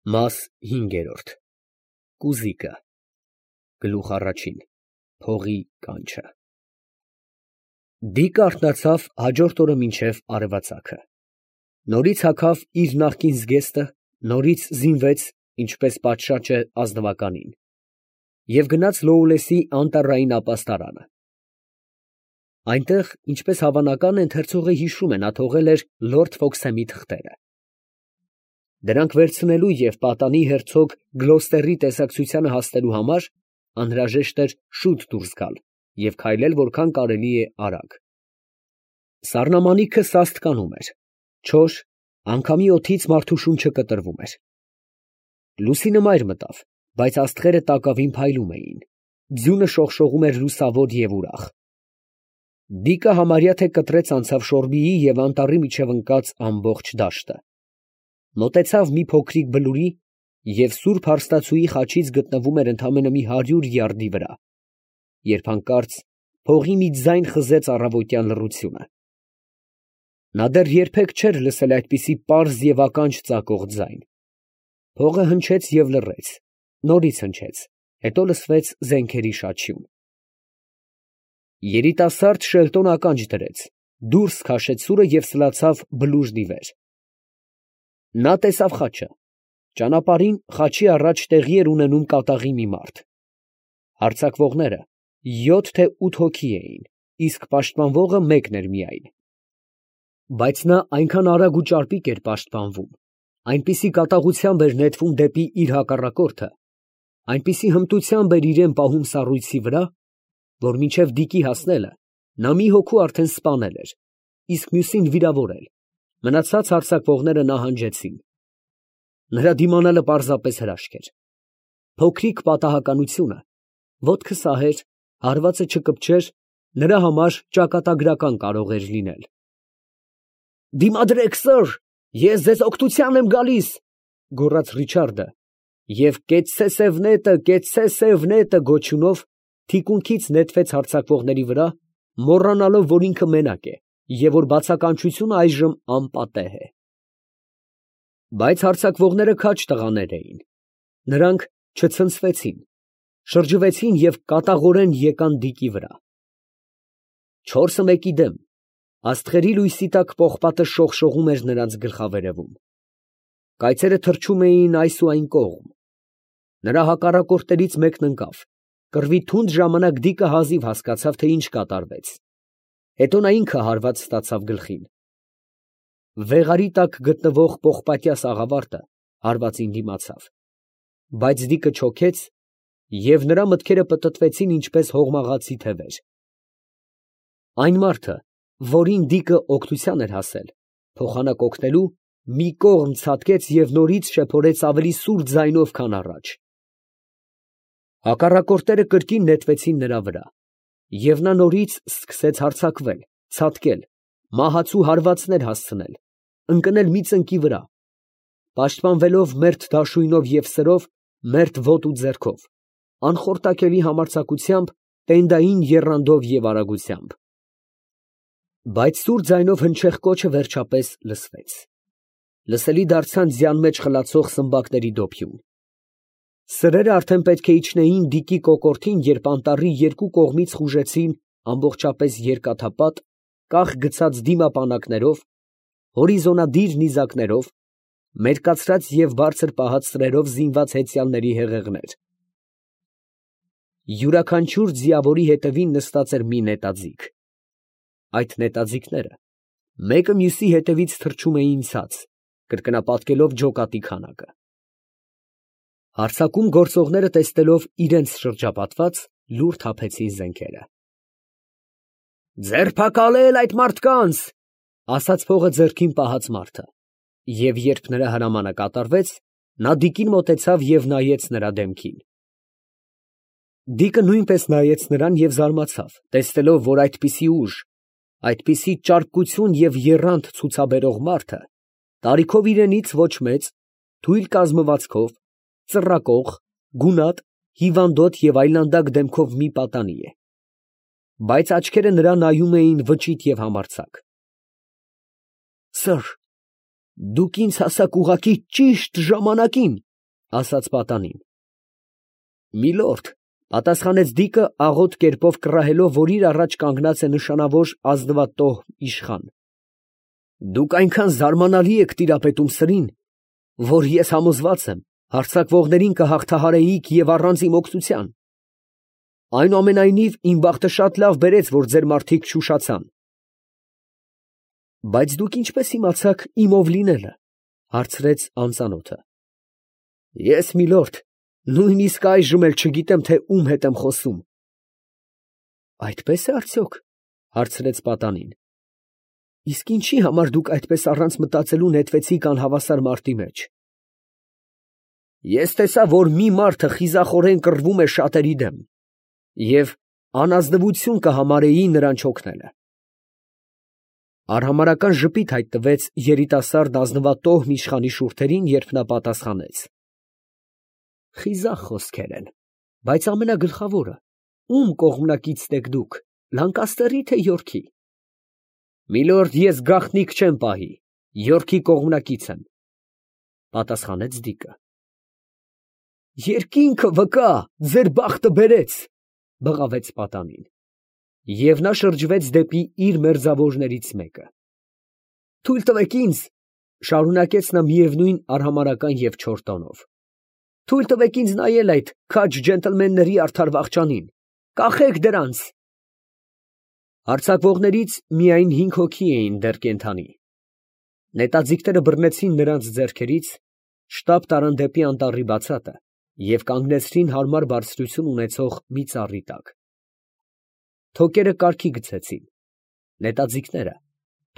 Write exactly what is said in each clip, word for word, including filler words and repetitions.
Մաս հինգերորդ Կուզիկը Գլուխ առաջին Փողի կանչը Դիկը արթնացավ հաջորդ օրը մինչև արևածագը, նորից հագավ իր նախկին զգեստը, նորից զինվեց, ինչպես պատշաճ է ազնվականին, և գնաց Լոուլեսի անտառային ապաստարանը. այնտեղ, ինչպես հավանական է, ընթերցողը հիշում է, նա թողել էր լորդ Ֆոքսհեմի թղթերը. դրանք վերցնելու և պատանի հերցոգ Գլոստերի տեսակցությանը հասնելու համար անհրաժեշտ էր շուտ դուրս գալ և քայլել որքան կարելի է արագ. սառնամանիքը սաստկանում էր, չոր, անգամի օդից մարդու շունչը կտրվում էր. լուսինը մայր մտավ, բայց աստղերը տակավին փայլում էին, ձյունը շողշողում էր լուսավոր և ուրախ. Դիկը համարյա թե կտրեց անցավ Շորբիի և անտառի միջև ընկած ամբողջ դաշտը, մոտեցավ մի փոքրիկ բլուրի և սուրբ հարստացուի խաչից գտնվում էր ընդամենը մի հարյուր յարդի վրա, երբ հանկարծ փողի մի ձայն խզեց առավոտյան լռությունը. նա դեռ երբեք չէր լսել այդպիսի պարզ և ականջ ծակող ձայն. փողը հնչեց և լռեց, նորից հնչեց, հետո լսվեց զենքերի շաչյուն. երիտասարդ Շելտոն ականջ դրեց, դուրս քաշեց սուրը և սլացավ բլուրն ի վեր. նա տեսավ խաչը, ճանապարհին խաչի առաջ տեղի էր ունենում կատաղի մի մարդ. հարձակվողները յոթ թե ութ հոգի էին, իսկ պաշտպանվողը մեկն էր միայն. բայց նա այնքան արագ ու ճարպիկ էր պաշտպանվում, այնպիսի կատաղությամբ էր նետվում դեպի իր հակառակորդը, այնպիսի հմտությամբ էր իրան պահում սառույցի վրա, որ մինչև դիկի հասնելը նա մի հոգու արդեն սպանել էր, իսկ մյուսին վիրավորել, մնացած հարձակվողները նահանջեցին. նրա դիմանալը պարզապես հրաշք էր. փոքրիկ պատահականությունը, ոտքը սահեր, հարվածը չկպչեր, նրա համար ճակատագրական կարող էր լինել. «Դիմադրեք, սըր, ես ձեզ օգնության եմ գալիս», ֊ գոռաց Ռիչարդը, և «Կեցցե սև նետը, կեցցե սև նետը» գոչյունով թիկունքից նետվեց հարձակվողների վրա, մոռանալով, որ ինքը մենակ է և որ բացականչությունը այժմ անպատեհ է. բայց հարձակվողները քաջ տղաներ էին, նրանք չցնցվեցին, շրջվեցին և կատաղորեն եկան դիկի վրա. չորսը մեկի դեմ, աստղերի լույսի տակ պողպատը շողշողում էր նրանց գլխավերևում, կայծերը թռչում էին այս ու այն կողմ, նրա հակառակորդներից մեկն ընկավ, կռվի թունդ ժամանակ դիկը հազիվ հասկացավ, թե ինչ կատարվեց, հետո նա ինքը հարված ստացավ գլխին. վեղարի տակ գտնվող պողպատյա սաղավարտը հարվածին դիմացավ, բայց դիկը չոքեց և նրա մտքերը պտտվեցին ինչպես հողմաղացի թևեր. այն մարդը, որին դիկը օգնության էր հասել, փոխանակ օգնելու, մի կողմ ցատկեց և նորից շեփորեց ավելի սուր ձայնով, քան առաջ. հակառակորդները կրկին նետվեցին նրա վրա, և նա նորից սկսեց հարձակվել, ցատկել, մահացու հարվածներ հասցնել, ընկնել մի ծնկի վրա, պաշտպանվելով մերթ դաշույնով և սրով, մերթ ոտ ու ձեռքով, անխորտակելի համարձակությամբ, տենդային եռանդով և արագությամբ. բայց սուր ձայնով հնչեղ կոչը վերջապես լսվեց, լսելի դարձան ձյան մեջ խլացող սմբակների դոփյուն. սրերը արդեն պետք է իջնեին դիկի կոկորդին, երբ անտառի երկու կողմից խուժեցին ամբողջապես երկաթապատ, կախ գցած դիմապանակներով, հորիզոնադիր նիզակներով, մերկացրած և բարձր պահած սրերով զինված հեծյալների հեղեղներ. յուրաքանչյուր ձիավորի հետևին նստած էր մի նետաձիգ. այդ նետաձիգները մեկը մյուսի հետևից թռչում էին ցած, կրկնապատկելով ջոկատի քանակը. հարձակում գործողները տեսնելով իրենց շրջապատված, լուռ թափեցին զենքերը. «Ձերբակալել այդ մարդկանց», ֊ ասաց փողը ձեռքին պահած մարդը, և երբ նրա հրամանը կատարվեց, նա դիկին մոտեցավ և նայեց նրա դեմքին. դիկը նույնպես նայեց նրան և զարմացավ, տեսնելով, որ այդպիսի ուժ, այդպիսի ճարպկություն և եռանդ ցուցաբերող մարդը տարիքով իրենից ոչ մեծ, թույլ կազմվածքով, ծռակող, գունատ, հիվանդոտ և այլանդակ դեմքով մի պատանի է, բայց աչքերը նրա նայում էին վճիտ և համարձակ. «Սըր, դուք ինձ հասաք ուղղակի ճիշտ ժամանակին», ասաց պատանին։ Միլորդ, պատասխանեց Դիկը աղոտ կերպով կռահելով, որ իր առաջ կանգնած է նշանավոր ազնվատոհ իշխան. դուք այնքան զարմանալի եք տիրապետում սրին, որ ես համոզված եմ, հարձակվողներին կհաղթահարեիք և առանց իմ օգնության։ Այնուամենայնիվ, իմ բախտը շատ լավ բերեց, որ ձեր մարդիկ չուշացան։ Բայց դուք ինչպես իմացաք իմ ով լինելը, հարցրեց անծանոթը։ Ես, միլորդ, նույնիսկ այժմ էլ չգիտեմ, թե ում հետ եմ խոսում։ Այդպես է արդյոք, հարցրեց պատանին։ Իսկ ինչի համար դուք այդպես առանց մտածելու նետվեցիք անհավասար մարտի մեջ։ Ես տեսա, որ մի մարդը խիզախորեն կռվում է շատերի դեմ, և անազնվություն կհամարեի նրան չօգնելը։ Արհամարհական ժպիտ հայտնվեց երիտասարդ ազնվատոհ իշխանի շուրթերին, երբ նա պատասխանեց. խիզախ խոսքեր են, բայց ամենագլխավորը, ում կողմնակիցն եք դուք, Լանկաստերի թե Յորքի։ Միլորդ, ես գաղտնիք չեմ պահի, Յորքի կողմնակից եմ, պատասխանեց Դիկը։ Երկինքը վկա, ձեր բախտը բերեց, բղավեց պատանին, և նա շրջվեց դեպի իր մերձավորներից մեկը։ Թույլ տվեք ինձ, շարունակեց նա միևնույն արհամարհական և չոր տոնով, թույլ տվեք ինձ նայել այդ քաջ ջենտլմենների արդար վախճանին, կախեք դրանց։ Հարձակվողներից միայն հինգ հոգի էին դեռ կենդանի։ Նետաձիգները բռնեցին նրանց ձեռքերից, շտապ տարան դեպի անտառի բացատը և կանգնեցրին հարմար բարձրություն ունեցող մի ծառի տակ։ Թոկերը կարգի գցեցին։ Նետաձիգները,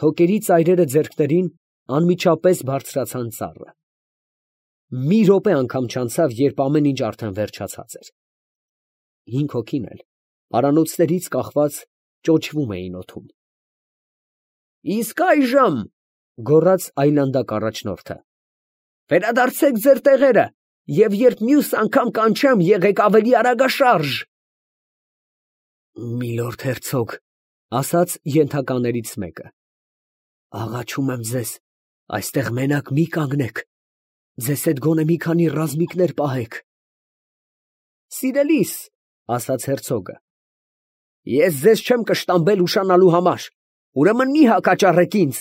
թոկերի ծայրերը ձեռքներին, անմիջապես բարձրացան ծառը։ Մի րոպե անգամ չանցավ, երբ ամեն ինչ արդեն վերջացած էր։ Հինգ հոգին էլ, պարանոցներից կախված, ճոճվում էին օդում։ Իսկ այժմ, գոռաց այլանդակ առաջնորդը, վերադարձեք ձեր տեղերը, և երբ մյուս անգամ կանչեմ, եղեք ավելի արագաշարժ։ Միլորդ հերցոգ, ասաց ենթականերից մեկը, աղաչում եմ ձեզ, այստեղ մենակ մի կանգնեք, ձեզ հետ գոնե մի քանի ռազմիկներ պահեք։ Սիրելիս, ասաց հերցոգը, ես ձեզ չեմ կշտամբել ուշանալու համար, ուրեմն մի հակաճառեք ինձ։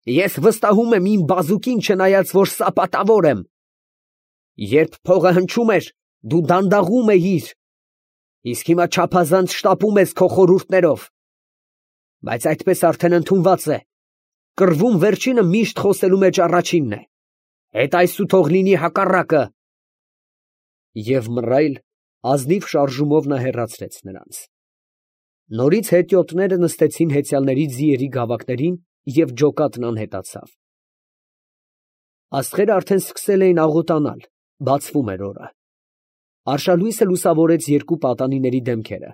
Ես վստահում եմ իմ բազուկին, չնայած որ սապատավոր եմ։ Երբ փողը հնչում էր, դու դանդաղում էիր, իսկ հիմա չափազանց շտապում ես քո խորհուրդներով։ Բայց այդպես արդեն ընդունված է, կռվում վերջինը միշտ խոսելու մեջ առաջինն է։ Հետ այսու թող լինի հակառակը։ Եվ մռայլ, ազնիվ շարժումով նա հեռացրեց նրանց։ Նորից հետիոտները նստեցին հեծյալների ձիերի գավակներին և ջոկատն անհետացավ։ Աստղերը արդեն սկսել էին աղոտանալ, բացվում էր օրը։ Արշալույսը լուսավորեց երկու պատանիների դեմքերը,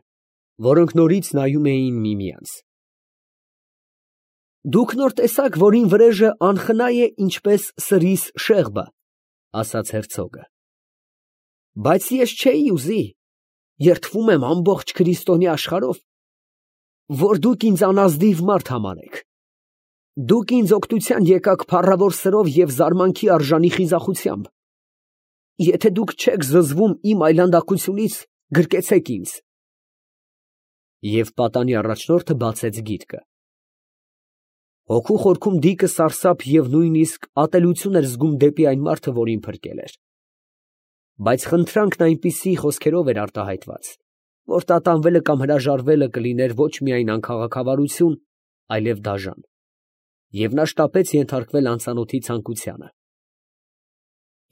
որոնք նորից նայում էին միմյանց։ Դուք նոր տեսաք, որ իմ վրեժը անխնա է ինչպես սրիս շեղբը, ասաց հերցոգը։ Բայց ես չէի ուզի, երդվում եմ ամբողջ քրիստոնյա աշխարհով, որ դուք ինձ անազնիվ մարդ համարեք։ Դուք ինձ օգնության եկաք փառավոր սրով և զարմանքի արժանի խիզախությամբ։ Եթե դուք չեք զզվում իմ այլանդակությունից, գրկեցեք ինձ։ Եվ պատանի առաջնորդը բացեց գիրկը։ Հոգու խորքում Դիկը սարսափ և նույնիսկ ատելություն էր զգում դեպի այն մարդը, որին փրկել էր։ Բայց խնդրանքն այնպիսի խոսքերով էր արտահայտված, որ տատանվելը կամ հրաժարվելը կլիներ ոչ միայն անքաղաքավարություն, այլև դաժան, և նա շտապեց ենթարկվել անծանոթի ցանկությանը։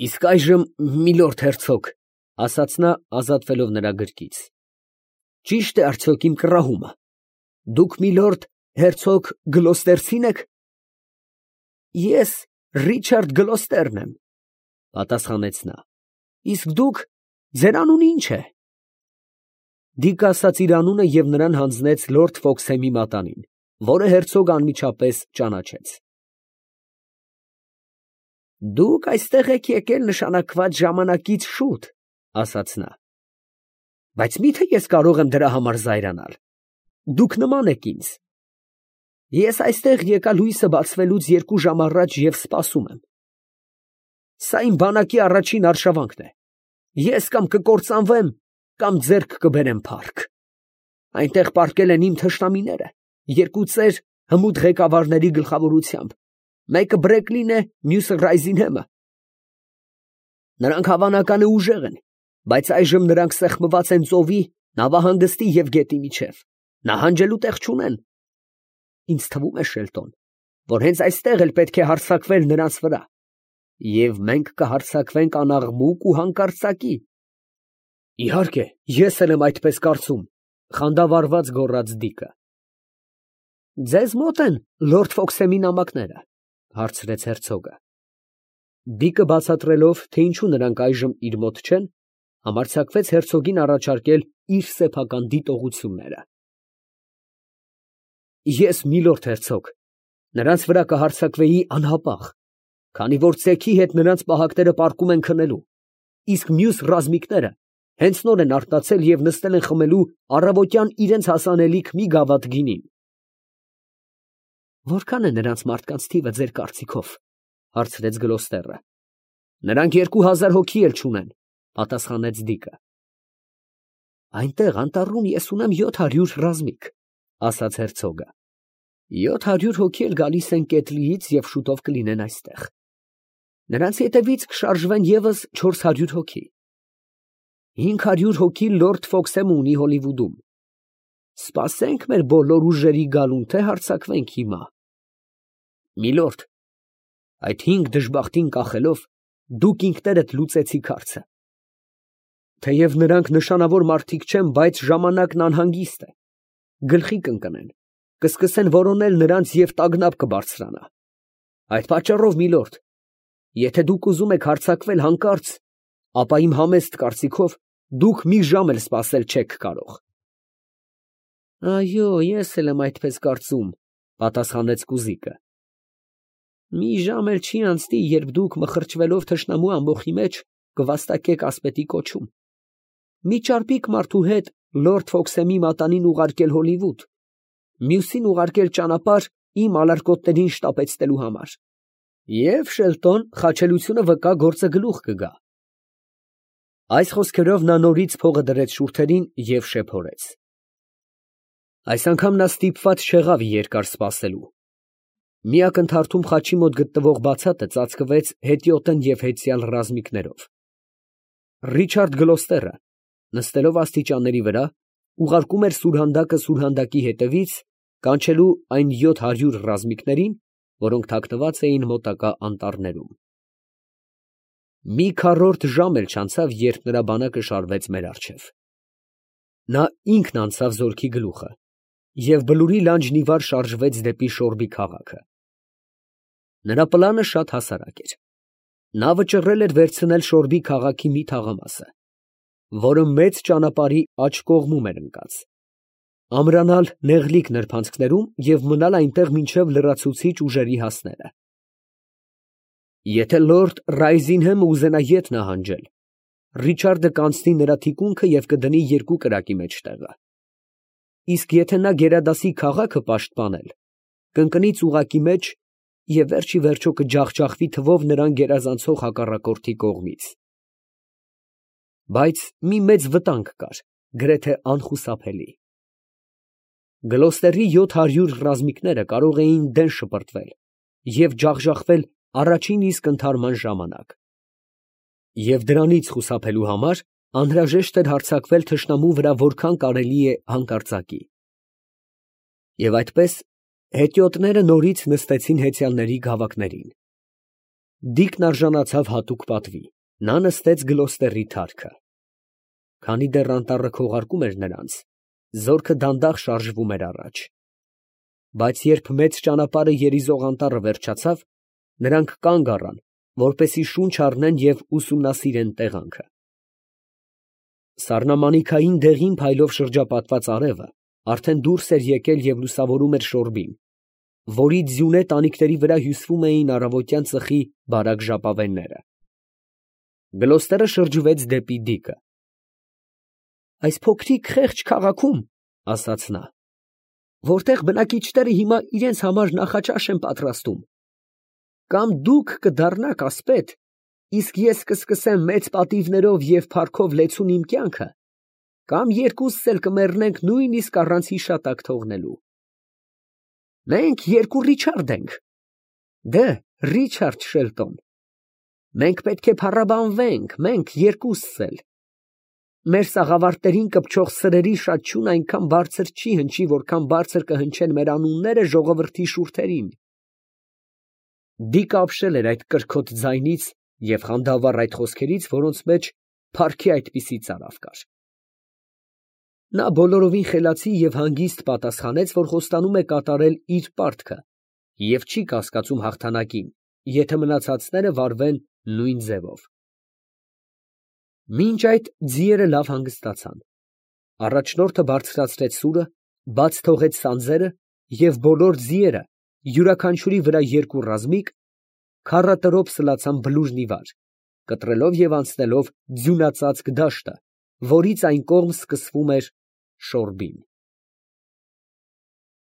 Իսկ այժմ, միլորդ հերցոգ, ասաց նա, ազատվելով նրա գրկից, ճի՞շտ է արդյոք իմ կռահումը, դուք միլորդ հերցոգ Գլոստերցի՞ն եք։ Ես Ռիչարդ Գլոստերն եմ, պատասխանեց նա, իսկ դուք, ձեր անունը ի՞նչ է։ Դիկը ասաց իր անունը և նրան հանձնեց լորդ Ֆոքսհեմի մատանին, որը հերցոգը անմիջապես ճանաչեց։ Դուք այստեղ եք եկել նշանակված ժամանակից շուտ, ասաց նա, բայց մի՞թե ես կարող եմ դրա համար զայրանալ։ Դուք նման եք ինձ։ Ես այստեղ եկա լույսը բացվելուց երկու ժամ առաջ և սպասում եմ։ Սա իմ բանակի առաջին արշավանքն է։ Ես կամ կկործանվեմ, կամ ձեռք կբերեմ փառք։ Այնտեղ պառկել են իմ թշնամիները, երկու ծեր հմուտ ղեկավարների գլխավորությամբ, մեկը Բրեկլին է, մյուսը Ռայզինհեմը։ Նրանք հավանական է ուժեղ են, բայց այժմ նրանք սեղմված են ծովի, նավահանգստի և գետի միջև, նահանջելու տեղ չունեն։ Ինձ թվում է, Շելտոն, որ հենց այստեղ էլ պետք է հարձակվել նրանց վրա, և մենք կհարձակվենք անաղմուկ ու հանկարծակի։ Իհարկե, ես էլ եմ այդպես կարծում, խանդավառված գոռաց Դիկը։ Ձեզ մոտ են լորդ Ֆոքսեմի նամակները, հարցրեց հերցոգը։ Դիկը բացատրելով, թե ինչու նրանք այժմ իր մոտ չեն, համարձակվեց հերցոգին առաջարկել իր սեփական դիտողությունները։ Ես, միլորդ հերցոգ, նրանց վրա կհարձակվեի անհապաղ, քանի որ ծեքի հետ նրանց պահակները պառկում են քնելու, իսկ մյուս ռազմիկները հենց նոր են արթնացել և նստել են խմելու առավոտյան իրենց հասանելիք մի գավաթ գինին։ Որքան է նրանց մարդկանց թիվը ձեր կարծիքով, հարցրեց Գլոստերը։ Նրանք երկու հազար հոգի էլ չունեն, պատասխանեց Դիկը։ Այնտեղ անտառում ես ունեմ յոթ հարյուր ռազմիկ, ասաց հերցոգը։ Յոթ հարյուր հոգի էլ գալիս են Կեթլիից և շուտով կլինեն այստեղ։ Նրանց ետևից կշարժվեն ևս չորս հարյուր հոգի։ Հինգ հարյուր հոգի լորդ Ֆոքսեմը ունի Հոլիվուդում։ Սպասենք մեր բոլոր ուժերի գալուն, թե հարձակվենք հիմա։ Միլորդ, այդ հինգ դժբախտին կախելով, դուք ինքներդ լուծեցիք հարցը։ Թեև նրանք նշանավոր մարդիկ չեն, բայց ժամանակն անհանգիստ է։ Գլխի կընկնեն, կսկսեն որոնել նրանց և տագնապ կբարձրանա։ Այդ պատճառով, միլորդ, եթե դուք ուզում եք հարձակվել հանկարծ, ապա իմ համեստ կարծիքով դուք մի ժամ էլ սպասել չեք կարող։ Այո, ես էլ եմ այդպես կարծում, պատասխանեց Կուզիկը։ Մի ժամ էլ չի անցնի, երբ դուք մխրճվելով թշնամու ամբոխի մեջ կվաստակեք ասպետի կոչում։ Մի ճարպիկ մարդու հետ լորդ Ֆոքսեմի մատանին ուղարկել Հոլիվուդ, մյուսին ուղարկել ճանապարհ իմ ալարկոտներին շտապեցնելու համար։ Եվ Շելտոն խաչելությունը վկա գործը գլուխ կգա։ Այս խոսքերով նա նորից փողը դրեց շուրթերին և շեփորեց։ Այս անգամ նա ստիպված չեղավ երկար սպասելու։ Մի ակնթարթում խաչի մոտ գտնվող բացատը ծածկվեց հետիոտն և հետսյալ ռազմիկներով։ Ռիչարդ Գլոստերը, նստելով աստիճանների վրա, ուղարկում էր սուրհանդակը սուրհանդակի հետևից, կանչելու այն յոթ հարյուր ռազմիկներին, որոնք թաքնված էին մոտակա անտառներում։ Մի քառորդ ժամ էլ չանցավ, երբ նրա բանակը շարվեց մեր առջև։ Նա ինքն անցավ զորքի գլուխը և բլուրի լանջն ի վար շարժվեց դեպի Շորբի քաղաքը։ Նրա պլանը շատ հասարակ էր։ Նա վճռել էր վերցնել Շորբի քաղաքի մի թաղամասը, որը մեծ ճանապարհի աջ կողմում էր ընկած, ամրանալ նեղլիկ նրբանցքներում և մնալ այնտեղ մինչև լրացուցիչ ուժերի հասնելը։ Եթե լորդ Ռայզինհեմը ուզենա ետ նահանջել, Ռիչարդը կանցնի նրա թիկունքը և կդնի երկու կրակի մեջ տեղը։ Իսկ եթե նա գերադասի քաղաքը պաշտպանել, կընկնի ծուղակի մեջ և վերջ ի վերջո կջախջախվի թվով նրան գերազանցող հակառակորդի կողմից։ Բայց մի մեծ վտանգ կար, գրեթե անխուսափելի։ Գլոստերի յոթ հարյուր ռազմիկները կարող էին դեն շպրտվել և ջախջախվել առաջին իսկ ընդհարման ժամանակ։ Եվ դրանից խուսափելու համար անհրաժեշտ էր հարձակվել թշնամու վրա որքան կարելի է հանկարծակի։ Եվ այդպես հետիոտները նորից նստեցին հեծյալների գավակներին։ Դիկն արժանացավ հատուկ պատվի, նա նստեց Գլոստերի թարքը։ Քանի դեռ անտառը քողարկում էր նրանց, զորքը դանդաղ շարժվում էր առաջ։ Բայց երբ մեծ ճանապարհը երիզող անտառը վերջացավ, նրանք կանգ առան, որպեսզի շունչ առնեն և ուսումնասիրեն տեղանքը։ Սառնամանիքային դեղին փայլով շրջապատված արևը արդեն դուրս էր եկել և լուսավորում էր Շորբին, որի ձյունե տանիքների վրա հյուսվում էին առավոտյան ծխի բարակ ժապավենները։ Գլոստերը շրջվեց դեպի Դիկը։ Այս փոքրիկ խեղճ քաղաքում, ասաց նա, որտեղ բնակիչները հիմա իրենց համար նախաճաշ են պատրաստում, կամ դուք կդառնաք ասպետ, իսկ ես կսկսեմ մեծ պատիվներով և փառքով լեցուն իմ կյանքը, կամ երկուսս էլ կմեռնենք նույնիսկ առանց հիշատակ թողնելու։ Մենք երկու Ռիչարդ ենք։ Դե, Ռիչարդ Շելտոն, մենք պետք է փառաբանվենք, մենք երկուսս էլ։ Մեր սաղավարտներին կպչող սրերի շաչյուն այնքան բարձր չի հնչի, որքան բարձր կհնչեն մեր անունները ժողովրդի շուրթերին։ Դիկը ապշել էր այդ կրքոտ ձայնից և խանդավառ այդ խոսքերից, որոնց մեջ փառքի այդպիսի ծարավ կար։ Նա բոլորովին խելացի և հանգիստ պատասխանեց, որ խոստանում է կատարել իր պարտքը և չի կասկածում հաղթանակին, եթե մնացածները վարվեն նույն ձևով։ Մինչ այդ ձիերը լավ հանգստացան։ Առաջնորդը բարձրացրեց սուրը, բաց թողեց սանձերը և բոլոր ձիերը, յուրաքանչյուրի վրա երկու ռազմիկ, քառատրոփ սլացան բլուրն ի վար, կտրելով և անցնելով ձյունածածկ դաշտը, որից այն կողմ սկսվում էր Շորբին։